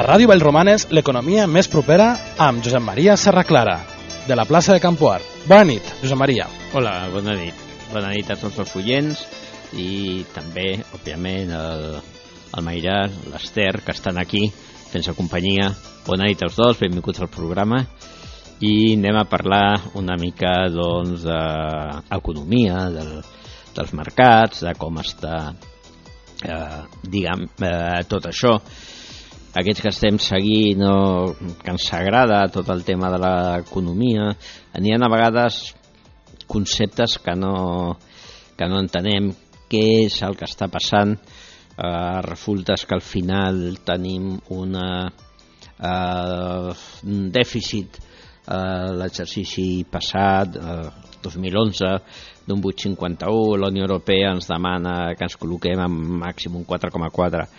A Ràdio Vallromanes, l'economia més propera amb Josep Maria Serraclara, de la plaça de Campoart. Bona nit, Josep Maria. Hola, bona nit. Bona nit a tots els oients i també, òbviament, el Mairar, l'Ester, que estan aquí fent-se companyia. Bona nit als dos, benvinguts al programa. I anem a parlar una mica doncs, d'economia, dels mercats, de com està tot això. Aquests que estem seguint, que ens agrada tot el tema de l'economia, n'hi ha a vegades conceptes que no entenem què és el que està passant. Resulta que al final tenim un dèficit l'exercici passat, 2011, d'un 8,51. La Unió Europea ens demana que ens col·loquem en màxim un 4,4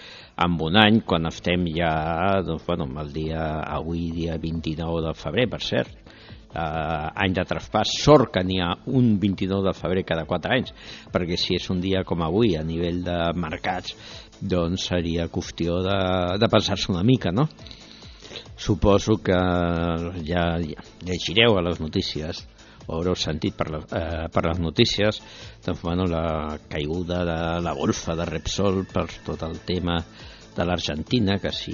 en un any, quan estem ja el dia 29 de febrer, per cert, any de traspàs. Sort que n'hi ha un 29 de febrer cada 4 anys, perquè si és un dia com avui a nivell de mercats, doncs seria qüestió de pensar-se una mica, no? Suposo que ja llegireu a les notícies o haureu sentit per les notícies la caiguda de la bolsa de Repsol per tot el tema de l'Argentina, que si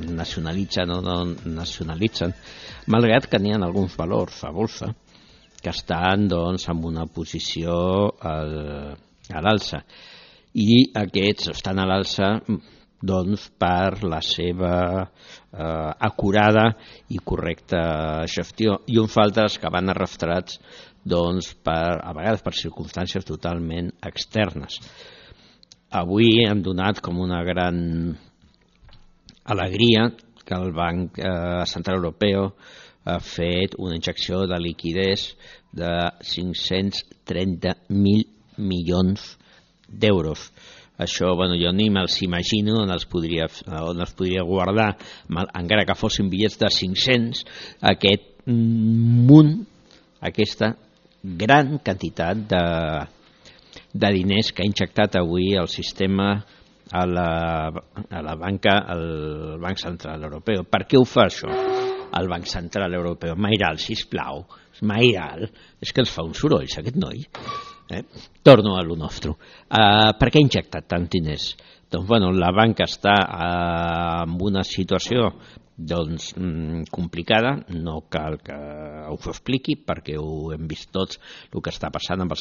nacionalitzen o no nacionalitzen, malgrat que n'hi ha alguns valors a bolsa que estan en una posició a l'alça, i aquests estan a l'alça per la seva acurada i correcta gestió, i uns altres que van arrastrats a vegades per circumstàncies totalment externes. Avui hem donat com una gran alegria que el Banc Central Europeu ha fet una injecció de liquiditat de 530.000 milions d'euros. Això, jo ni me'ls imagino on els podria guardar, encara que fossin bitllets de 500, aquest munt, aquesta gran quantitat de diners que ha injectat avui el sistema a la banca, al Banc Central Europeu. Per què ho fa això el Banc Central Europeu? Mairal, sisplau, Mairal, és que ens fa un soroll aquest noi. Torno a lo nostre. Per què ha injectat tant diners? La banca està en una situació complicada, no cal que us ho expliqui perquè ho hem vist tots, el que està passant amb el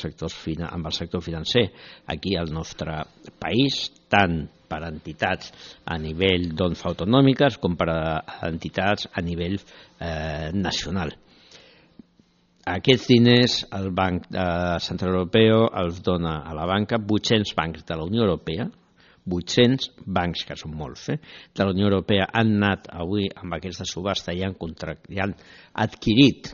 sector financer aquí al nostre país, tant per entitats a nivell autonòmiques com per entitats a nivell nacional. Aquests diners el Banc Central Europeu els dona a la banca. 800 bancs de la Unió Europea, 800 bancs, que són molts, de la Unió Europea han anat avui amb aquesta subhasta i han adquirit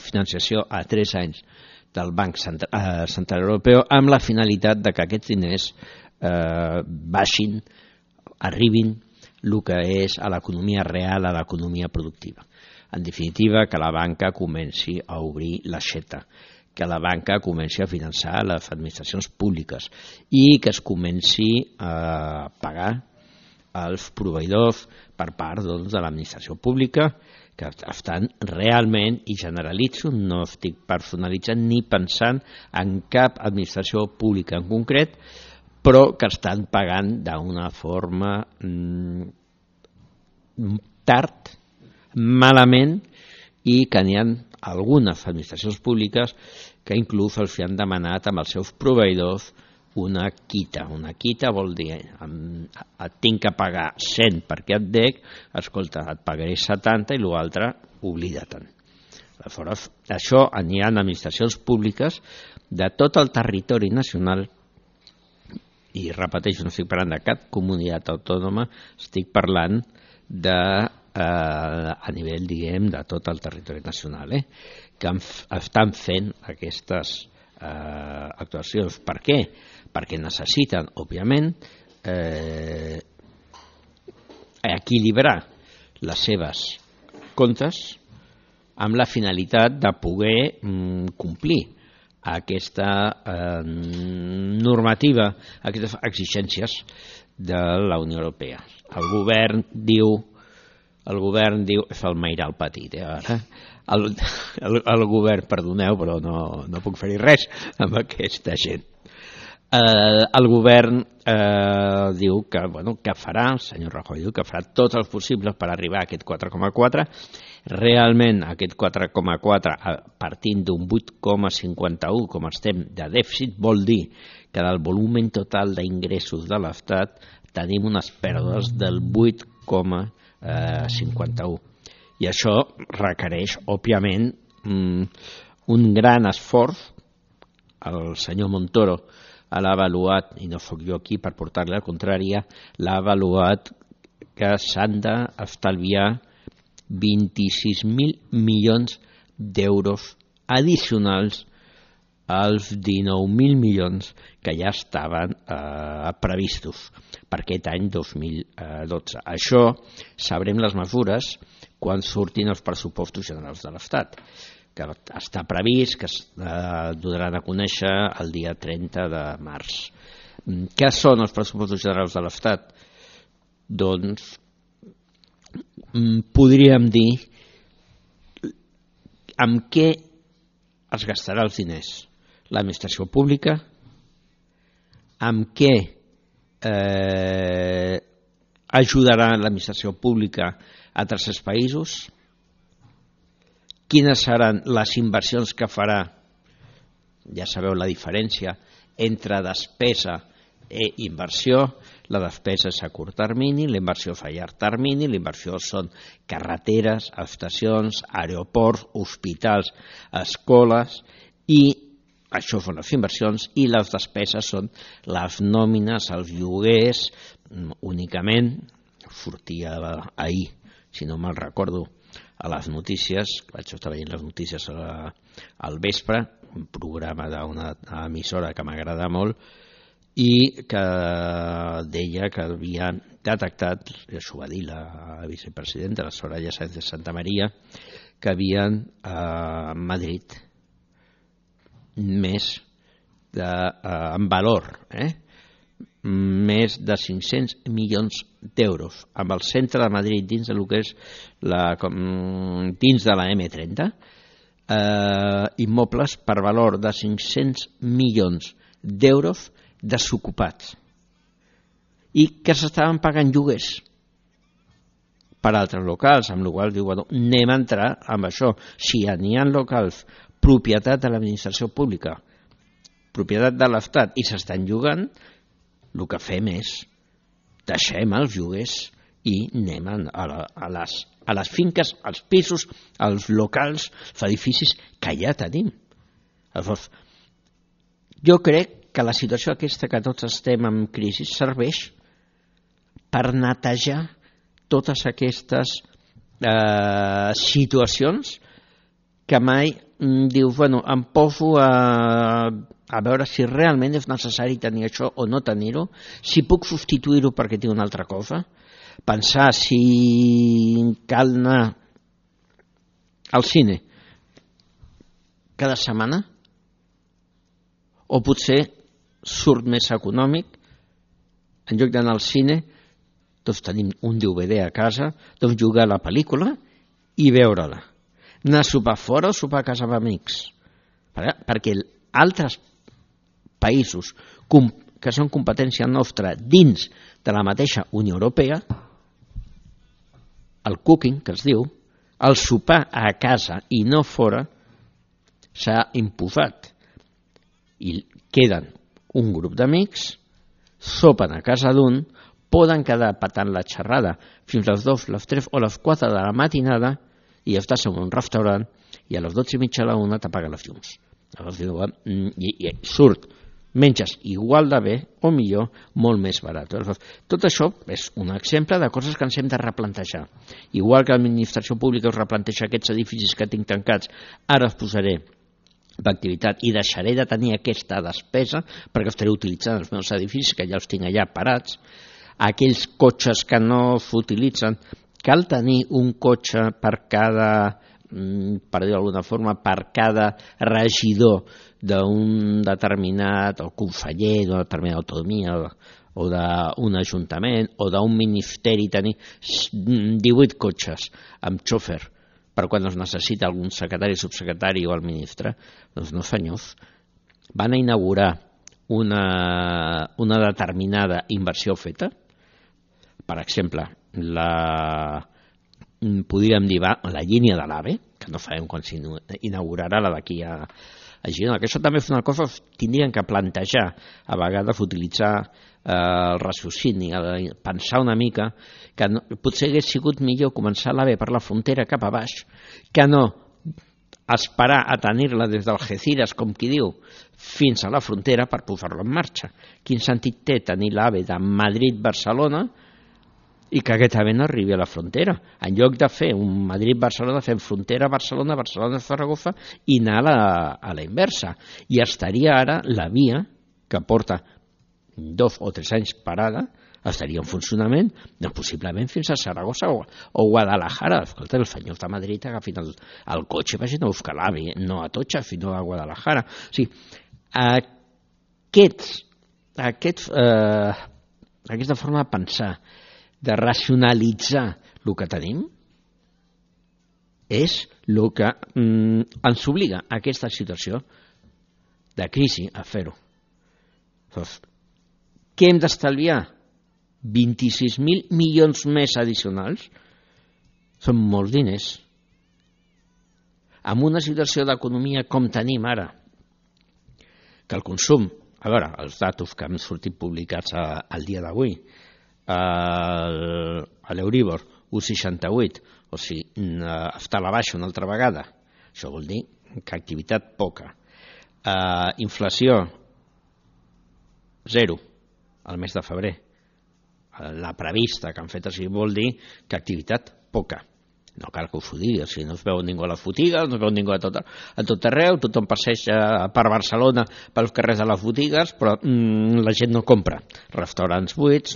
financiació a 3 anys del Banc Central Europeu amb la finalitat de que aquests diners baixin, arribin el que és a l'economia real, a l'economia productiva. En definitiva, que la banca comenci a obrir l'aixeta, que la banca comenci a finançar les administracions públiques i que es comenci a pagar els proveïdors per part de l'administració pública, que estan realment, i generalitzo, no estic personalitzant ni pensant en cap administració pública en concret, però que estan pagant d'una forma tard, malament, i que n'hi ha algunes administracions públiques que inclús els han demanat amb els seus proveïdors una quita. Una quita vol dir et tinc que pagar 100 perquè et dec, escolta, et pagaré 70 i l'altre oblida-te'n. Aleshores, això n'hi ha administracions públiques de tot el territori nacional, i repeteixo, no estic parlant de cap comunitat autònoma, estic parlant a nivell, de tot el territori nacional, que estan fent aquestes actuacions. Per què? Perquè necessiten, òbviament, equilibrar les seves comptes amb la finalitat de poder complir aquesta normativa, aquestes exigències de la Unió Europea. El govern diu, fa el meiral petit, ara. El govern, perdoneu, però no puc fer-hi res amb aquesta gent. El govern diu que farà, el senyor Rajoy diu que farà tot el possible per arribar a aquest 4,4. Realment aquest 4,4 partint d'un 8,51 com estem de dèficit vol dir que del volum total d'ingressos de l'Estat tenim unes pèrdues del 8,51 i això requereix òbviament un gran esforç. El senyor Montoro l'ha avaluat, i no sóc jo aquí per portar-li la contrària, l'ha avaluat que s'han d'estalviar 26.000 milions d'euros addicionals als 19.000 milions que ja estaven previstos per aquest any 2012. Això sabrem les mesures quan surtin els pressupostos generals de l'Estat, que està previst que es donaran a conèixer el dia 30 de març. Què són els pressupostos generals de l'Estat? Doncs podríem dir amb què es gastarà els diners l'administració pública, amb què ajudarà l'administració pública a tercers països, quines seran les inversions que farà. Ja sabeu la diferència entre despesa i inversió. La despesa és a curt termini, la inversió és a llarg termini. La inversió són carreteres, estacions, aeroports, hospitals, escoles, i això són les inversions, i les despeses són les nòmines, els lloguers. Únicament sortia ahir, si no me'l recordo, a les notícies, vaig estar veient les notícies al vespre, un programa d'una emissora que m'agrada molt, i que deia que havien detectat, i això va dir la vicepresidenta, la Soraya Sáenz de Santamaría, que havien a Madrid més en valor, més de 500 milions d'euros amb el centre de Madrid dins del que és dins de la M30, immobles per valor de 500 milions d'euros desocupats i que s'estaven pagant lloguers per altres locals, amb la qual cosa diu, anem a entrar amb això. Si n'hi ha locals propietat de l'administració pública, propietat de l'Estat, i s'estan llogant, el que fem és deixem els lloguers i anem a les finques, als pisos, als locals, als edificis que ja tenim. Llavors, jo crec que la situació aquesta que tots estem en crisi serveix per netejar totes aquestes situacions que mai dius, em poso a veure si realment és necessari tenir això o no tenir-ho, si puc substituir-ho perquè tinc una altra cosa, pensar si cal anar al cine cada setmana o potser surt més econòmic, en lloc d'anar al cine, doncs tenim un DVD a casa, doncs jugar a la pel·lícula i veure-la. Anar a sopar fora o sopar a casa amb amics. Perquè altres països que són competència nostra dins de la mateixa Unió Europea, el cooking, que es diu, el sopar a casa i no fora, s'ha imposat. I queden un grup d'amics, sopen a casa d'un, poden quedar patant la xerrada fins a les 2, les 3 o les 4 de la matinada i estàs en un restaurant i a les 12:30 a la 1 t'apaguen les llums. I surt, menges igual de bé o millor, molt més barat. Tot això és un exemple de coses que ens hem de replantejar. Igual que l'administració pública us replanteja aquests edificis que tinc tancats, ara els posaré d'activitat i deixaré de tenir aquesta despesa perquè estaré utilitzant els meus edificis que ja els tinc allà parats. Aquells cotxes que no s'utilitzen, cal tenir un cotxe per cada, per dir d'alguna forma, per cada regidor d'un determinat, o conseller d'una determinada autonomia o d'un ajuntament o d'un ministeri tenir 18 cotxes amb xòfer per quan es necessita algun secretari, subsecretari o el ministre, doncs no senyors. Van a inaugurar una determinada inversió feta, per exemple, podríem dir la línia de l'AVE, que no sabem quan s'inaugurarà la d'aquí a Girona, que això també és una cosa que tindrien que plantejar, a vegades utilitzar el raciocini, pensar una mica que potser hagués sigut millor començar l'AVE per la frontera cap a baix que no esperar a tenir-la des d'Algeciras, com qui diu, fins a la frontera per posar-la en marxa. Quin sentit té tenir l'AVE de Madrid-Barcelona i que aquest AVE no arribi a la frontera? En lloc de fer un Madrid-Barcelona, fem frontera Barcelona, Barcelona-Zaragoza i anar a la inversa. I estaria ara la via que porta 2 o 3 anys parada, estaria en funcionament, doncs possiblement fins a Saragossa o Guadalajara. Escolta, els senyors de Madrid agafin el cotxe i vagin a buscar l'AVE, no a Atocha, sinó a Guadalajara. O sigui, aquesta forma de pensar, de racionalitzar el que tenim, és el que ens obliga a aquesta situació de crisi a fer-ho. Doncs, què hem d'estalviar? 26.000 milions més addicionals? Són molts diners. En una situació d'economia com tenim ara, que el consum, a veure, els datos que han sortit publicats al dia d'avui, a l'Euríbor 1,68, o sigui, està a la baixa una altra vegada. Això vol dir que activitat poca. Inflació 0 al mes de febrer. La prevista que han fet així vol dir que activitat poca. No cal que us ho digui, si no es veu ningú a les botigues, no es veu ningú a tot arreu, tothom passeja per Barcelona pels carrers de les botigues, però la gent no compra. Restaurants buits,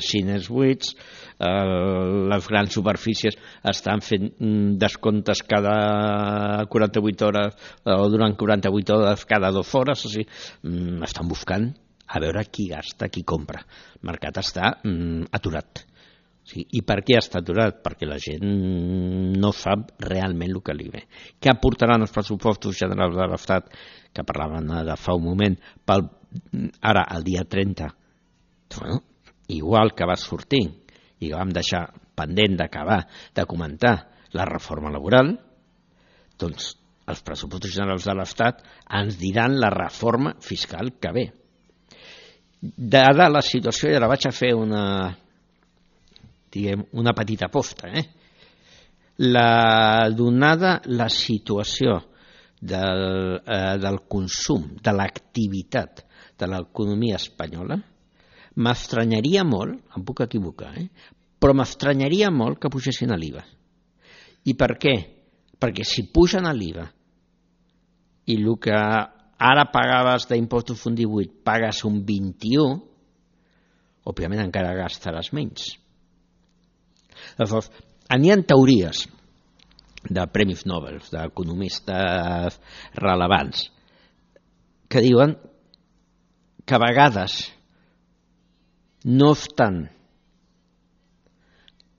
cines buits, les grans superfícies estan fent descomptes cada 48 hores o durant 48 hores cada 2 hores, o sigui, estan buscant a veure qui gasta, qui compra. El mercat està aturat. Sí, i per què està aturat? Perquè la gent no sap realment el que li ve. Què aportaran els pressupostos generals de l'Estat, que parlaven de fa un moment, ara, el dia 30? Bueno, igual que va sortir i que vam deixar pendent d'acabar de comentar la reforma laboral, doncs els pressupostos generals de l'Estat ens diran la reforma fiscal que ve. Dada la situació, ja la vaig a fer una petita posta. Donada la situació del consum, de l'activitat de l'economia espanyola, m'estranyaria molt, em puc equivocar, però m'estranyaria molt que pugessin a l'IVA. I per què? Perquè si pugen a l'IVA i el que ara pagaves d'impostos un 18 pagues un 21, òbviament encara gastaràs menys. Llavors, n'hi ha teories de premis Nobel, d'economistes rellevants, que diuen que a vegades no obstant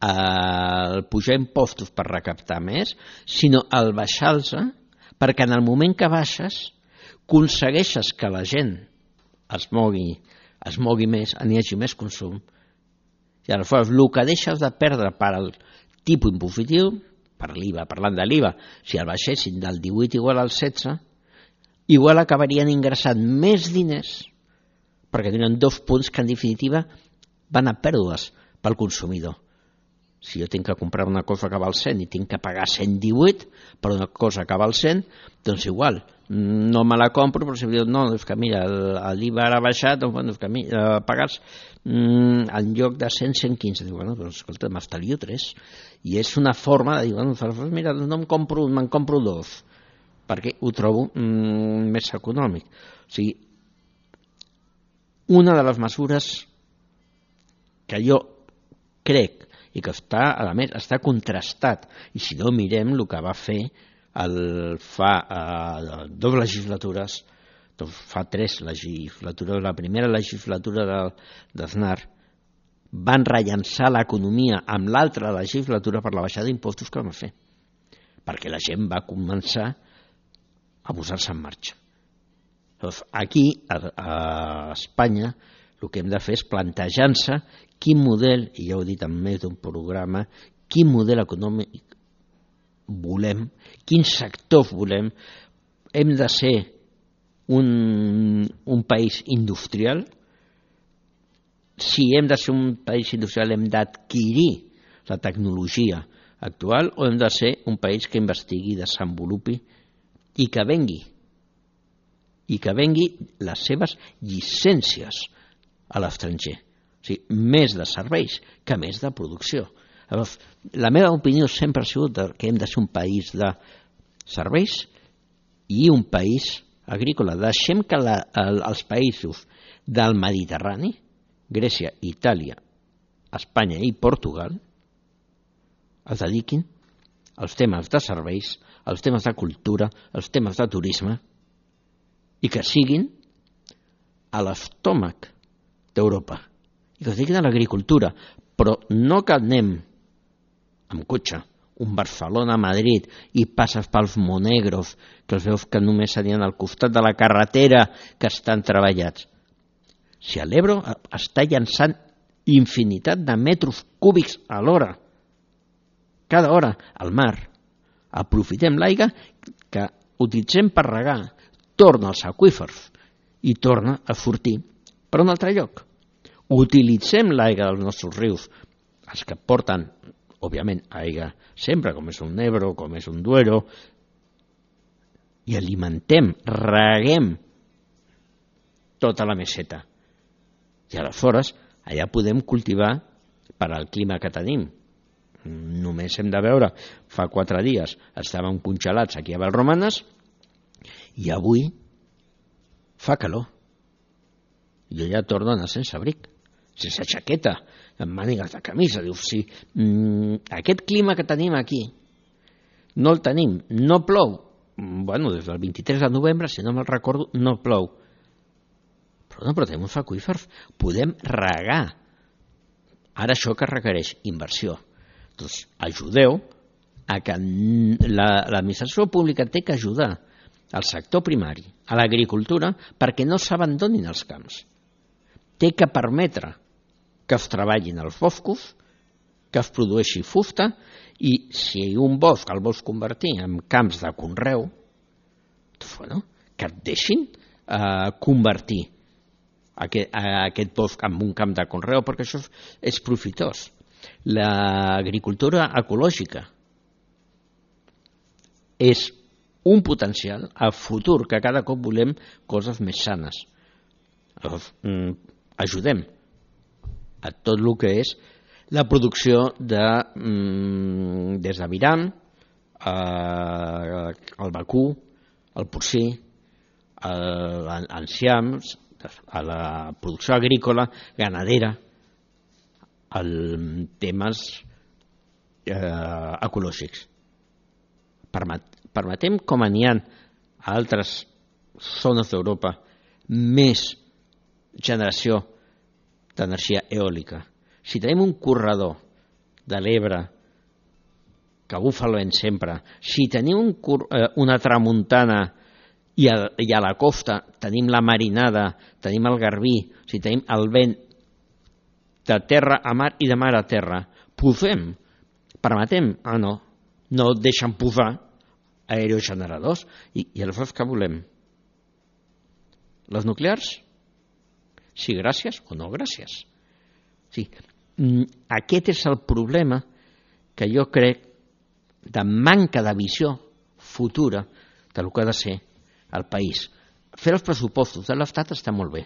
el pujar impostos per recaptar més, sinó el baixar-los, perquè en el moment que baixes aconsegueixes que la gent es mogui més, n'hi hagi més consum, i aleshores el que deixes de perdre per al tipus impositiu, per l'IVA, parlant de l'IVA, si el baixessin del 18 igual al 16, igual acabarien ingressant més diners, perquè tenen 2 punts que en definitiva van a pèrdues pel consumidor. Si jo tinc que comprar una cosa que val 100 i tinc que pagar 118 per una cosa que val 100, doncs igual, no me la compro, però si em diuen, no, és que mira, l'IVA ara ha baixat, doncs que pagues en lloc de 100, 115. Diu, bueno, doncs escolta, m'estalvio 3. I és una forma de dir, bueno, mira, no me'n compro 2, perquè ho trobo més econòmic. O sigui, una de les mesures que jo crec i que a més està contrastat, i si no mirem el que va fer fa 2 legislatures Doncs fa 3 legislatures, la primera legislatura d'Aznar, van rellançar l'economia amb l'altra legislatura per la baixada d'impostos que vam fer, perquè la gent va començar a posar-se en marxa. Doncs aquí, a Espanya, el que hem de fer és plantejar-se quin model, i ja ho he dit en més d'un programa, quin model econòmic volem, quins sectors volem. Hem de ser un país industrial. Si hem de ser un país industrial hem d'adquirir la tecnologia actual, o hem de ser un país que investigui, desenvolupi i que vengui les seves llicències a l'estranger. O sigui, més de serveis que més de producció. Llavors, la meva opinió sempre ha sigut que hem de ser un país de serveis i un país agrícola. Deixem que els països del Mediterrani, Grècia, Itàlia, Espanya i Portugal, es dediquin als temes de serveis, als temes de cultura, als temes de turisme, i que siguin a l'estómac d'Europa, i que es dediquin a l'agricultura, però no que anem amb cotxe, un Barcelona-Madrid, i passes pels Monegros, que els veus que només serien al costat de la carretera, que estan treballats. Si a l'Ebro està llançant infinitat de metres cúbics a l'hora, cada hora, al mar, aprofitem l'aigua que utilitzem per regar, torna als aqüífers i torna a sortir per un altre lloc. Utilitzem l'aigua dels nostres rius, els que porten, òbviament, aigua sempre, com és un Ebro, com és un Duero, i alimentem, reguem tota la meseta. I aleshores allà podem cultivar per al clima que tenim. Només hem de veure, fa 4 dies estàvem congelats aquí a Vallromanes i avui fa calor. Jo ja torno a anar sense abric, sense jaqueta, amb mànigues de camisa. Dius, si aquest clima que tenim aquí no el tenim, no plou, bueno, des del 23 de novembre, si no me'l recordo, no plou. Però tenim uns aqüífers, podem regar. Ara això que requereix inversió. Doncs ajudeu a que l'administració pública té que ajudar al sector primari, a l'agricultura, perquè no s'abandonin els camps. Té que permetre que es treballin els boscos, que es produeixi fusta, i si un bosc el vols convertir en camps de conreu, doncs, bueno, que et deixin convertir aquest bosc en un camp de conreu, perquè això és profitós. L'agricultura ecològica és un potencial a futur, que cada cop volem coses més sanes. Ajudem a tot el que és la producció des de viram, el vacú, el porcí, l'enciams, a la producció agrícola, ganadera, els temes ecològics. Permetem, com n'hi ha a altres zones d'Europa, més generació d'energia eòlica. Si tenim un corredor de l'Ebre que bufa el vent sempre, si tenim una tramuntana i a la costa tenim la marinada, tenim el garbí, si tenim el vent de terra a mar i de mar a terra, posem, permetem, no deixen posar aerogeneradors, i aleshores què volem? Les nuclears? Sí, gràcies o no gràcies. Sí, aquest és el problema que jo crec de manca de visió futura del que ha de ser el país. Fer els pressupostos de l'Estat està molt bé,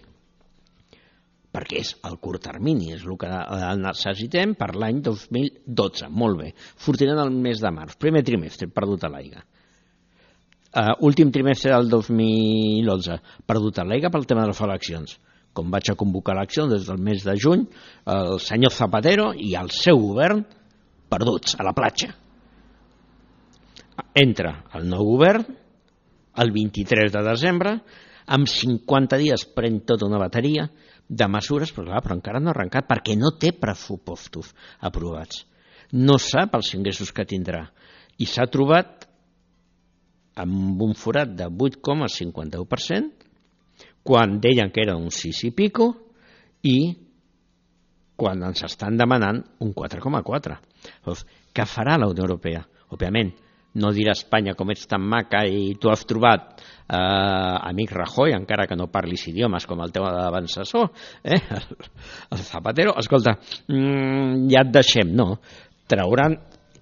perquè és el curt termini, és el que necessitem per l'any 2012, molt bé. Sortiran el mes de març, primer trimestre, perdut a l'aigua. Últim trimestre del 2011, perdut a l'aigua pel tema de les eleccions. Com vaig a convocar eleccions des del mes de juny, el senyor Zapatero i el seu govern perduts a la platja. Entra el nou govern el 23 de desembre, en 50 dies pren tota una bateria de mesures, però encara no ha arrencat perquè no té pressupostos aprovats. No sap els ingressos que tindrà i s'ha trobat amb un forat de 8,51% quan deien que era un 6 i pico i quan ens estan demanant un 4,4. Què farà la Unió Europea? Òbviament, no dirà Espanya com ets tan maca i tu has trobat amic Rajoy, encara que no parlis idiomes com el teu avançador, el Zapatero. Escolta, ja et deixem, no? Trauran,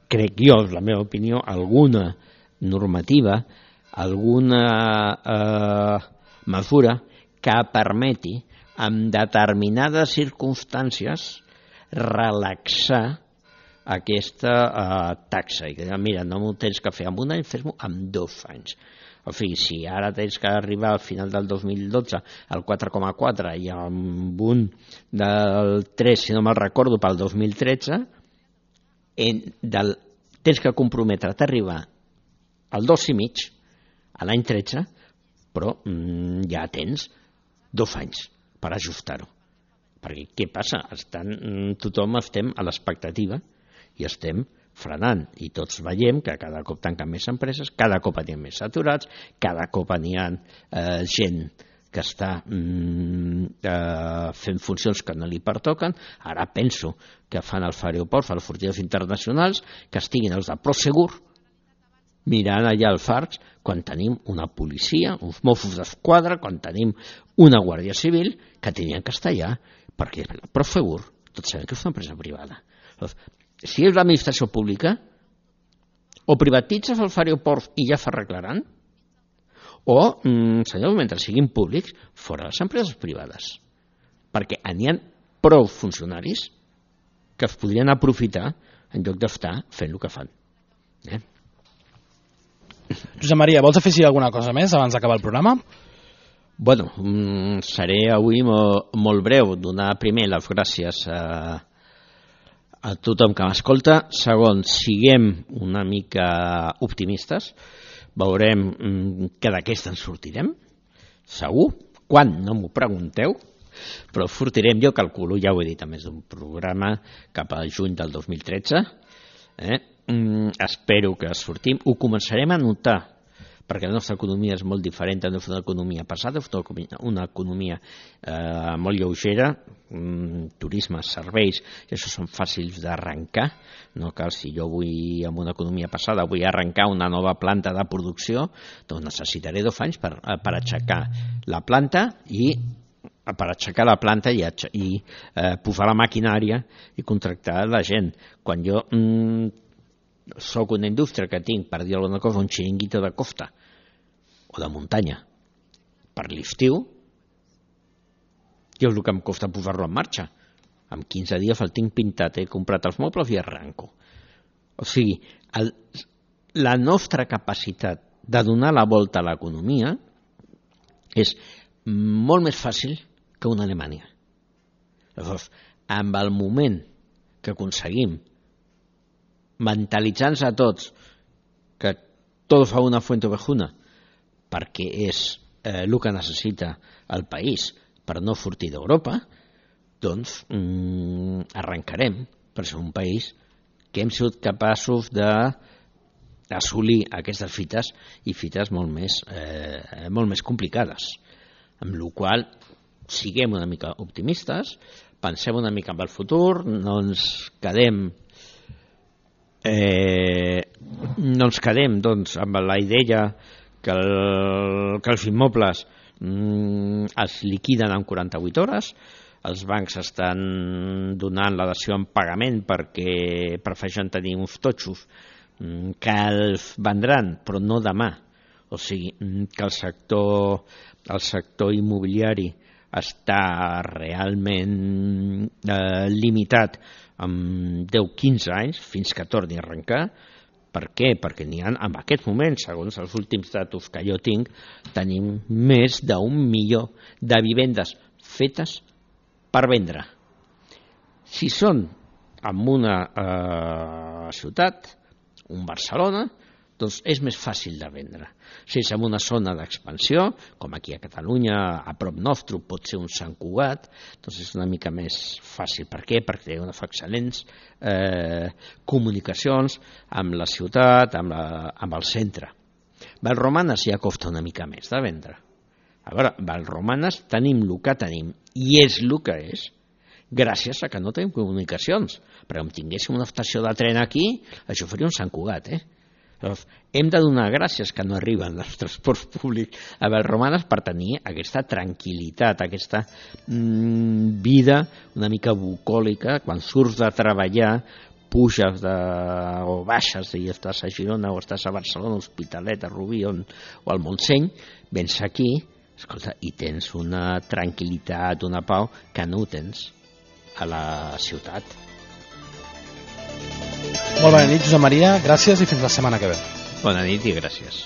crec jo, és la meva opinió, alguna normativa, alguna mesura que permeti en determinades circumstàncies relaxar aquesta taxa. I que, mira, no m'ho tens que fer en un any, fes-m'ho en 2 anys. O sigui, si ara tens que arribar al final del 2012 al 4,4 i amb un del 3, si no me'l recordo, pel 2013, tens que comprometre't a arribar al 2,5 a l'any 13, però ja tens 2 anys per ajustar-ho. Perquè què passa? Tothom estem a l'expectativa i estem frenant, i tots veiem que cada cop tanquen més empreses, cada cop n'hi ha més saturats, cada cop n'hi ha gent que està fent funcions que no li pertoquen. Ara penso que fan els aeroports, els sortides internacionals, que estiguin els de Prosegur mirant allà al Farcs quan tenim una policia, uns Mossos d'Esquadra, quan tenim una Guàrdia Civil, que tenien que estar allà, perquè la Prosegur, tots sabem que és una empresa privada. Si és l'administració pública, o privatitzes els aeroports i ja s'arreglaran, o, senyors, mentre siguin públics, fora les empreses privades. Perquè n'hi ha prou funcionaris que es podrien aprofitar en lloc d'estar fent el que fan. Josep Maria, vols afegir alguna cosa més abans d'acabar el programa? Bueno, seré avui molt breu. Donar primer les gràcies a tothom que m'escolta. Segon, siguem una mica optimistes. Veurem que d'aquesta en sortirem. Segur. Quan? No m'ho pregunteu. Però sortirem, jo calculo, ja ho he dit a més d'un programa, cap al juny del 2013. Espero que sortim. Ho començarem a notar, perquè la nostra economia és molt diferent de la nostra economia passada, una economia molt lleugera, turisme, serveis, i això són fàcils d'arrencar. No cal, si jo vull, amb una economia passada, vull arrencar una nova planta de producció, doncs necessitaré 2 anys per aixecar la planta i posar la maquinària i contractar la gent. Quan jo soc una indústria que tinc, per dir alguna cosa, un xiringuito de costa o de muntanya per l'estiu, jo és el que em costa posar-lo en marxa. En 15 dies el tinc pintat, he comprat els mobles i arranco. O sigui, la nostra capacitat de donar la volta a l'economia és molt més fàcil que una Alemanya. Llavors, amb el moment que aconseguim mentalitzant-nos a tots que tot fa una fuente ovejuna perquè és el que necessita el país per no sortir d'Europa, doncs arrencarem per ser un país que hem sigut capaços d'assolir aquestes fites i fites molt més complicades. Amb la qual cosa siguem una mica optimistes, pensem una mica en el futur, no ens quedem doncs, amb la idea que els immobles es liquiden en 48 hores, els bancs estan donant la dació en pagament perquè prefereixen tenir uns totxos que els vendran, però no demà. O sigui, que el sector immobiliari està realment limitat amb 10-15 anys fins que torni a arrencar. Per què? Perquè n'hi ha, en aquest moment, segons els últims datos que jo tinc, tenim més d'1 milió de vivendes fetes per vendre. Si són en una ciutat, un Barcelona, doncs és més fàcil de vendre. Si és en una zona d'expansió, com aquí a Catalunya, a prop nostre, pot ser un Sant Cugat, doncs és una mica més fàcil. Per què? Perquè té unes excel·lents comunicacions amb la ciutat, amb el centre. Vallromanes ja costa una mica més de vendre. A veure, Vallromanes tenim el que tenim, i és el que és, gràcies a que no tenim comunicacions. Perquè com tinguéssim una estació de tren aquí, això faria un Sant Cugat, Hem de donar gràcies que no arriben els transports públics a Vallromanes per tenir aquesta tranquil·litat, aquesta vida una mica bucòlica, quan surts de treballar, puges o baixes i estàs a Girona o estàs a Barcelona, Hospitalet, a Rubí o al Montseny, vens aquí, escolta, i tens una tranquil·litat, una pau que no ho tens a la ciutat. Molt bona nit, Josep Maria, gràcies i fins la setmana que ve. Bona nit i gràcies.